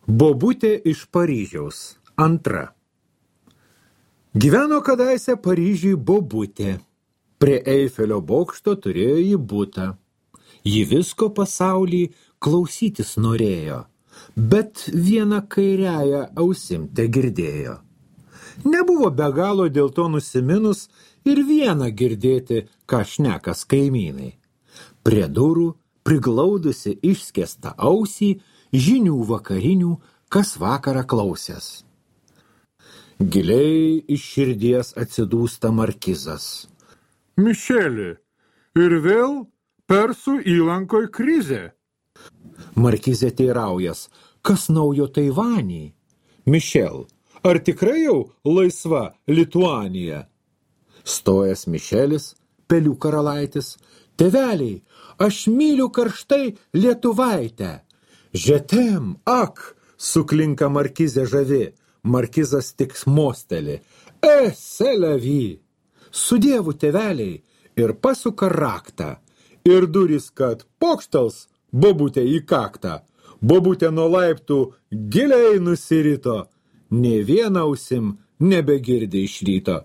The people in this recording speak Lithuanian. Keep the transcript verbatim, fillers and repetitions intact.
Bobutė iš Paryžiaus. Antra. Gyveno kadaise Paryžiui bobutė. Prie Eifelio bokšto turėjo ji butą. Ji visko pasaulį klausytis norėjo, bet vieną kairiąją ausim tegirdėjo. Nebuvo be galo dėl to nusiminus ir vieną girdėti, ką šnekas kaimynai. Prie durų, priglaudusi išskėstą ausį, žinių vakarinių, kas vakarą klausęs. Giliai iš širdies atsidūsta markizas. Mišeli, ir vėl Persų įlankoj krizė. Markizė teiraujas, kas naujo Taivanį? Mišel, ar tikrai jau laisva Lituanija? Stojas Mišelis, pelių karalaitis, tėveliai, aš myliu karštai Lietuvaitę. Žetem, ak, suklinka markizė žavi, markizas tik mosteli. E, selevi! Su dievu tėveliai ir pasuka raktą. Ir durys, kad pokštals bobutė į kaktą. Bobutė nuo laiptų giliai nusirito. Nė vieną ausim nebegirdi iš ryto.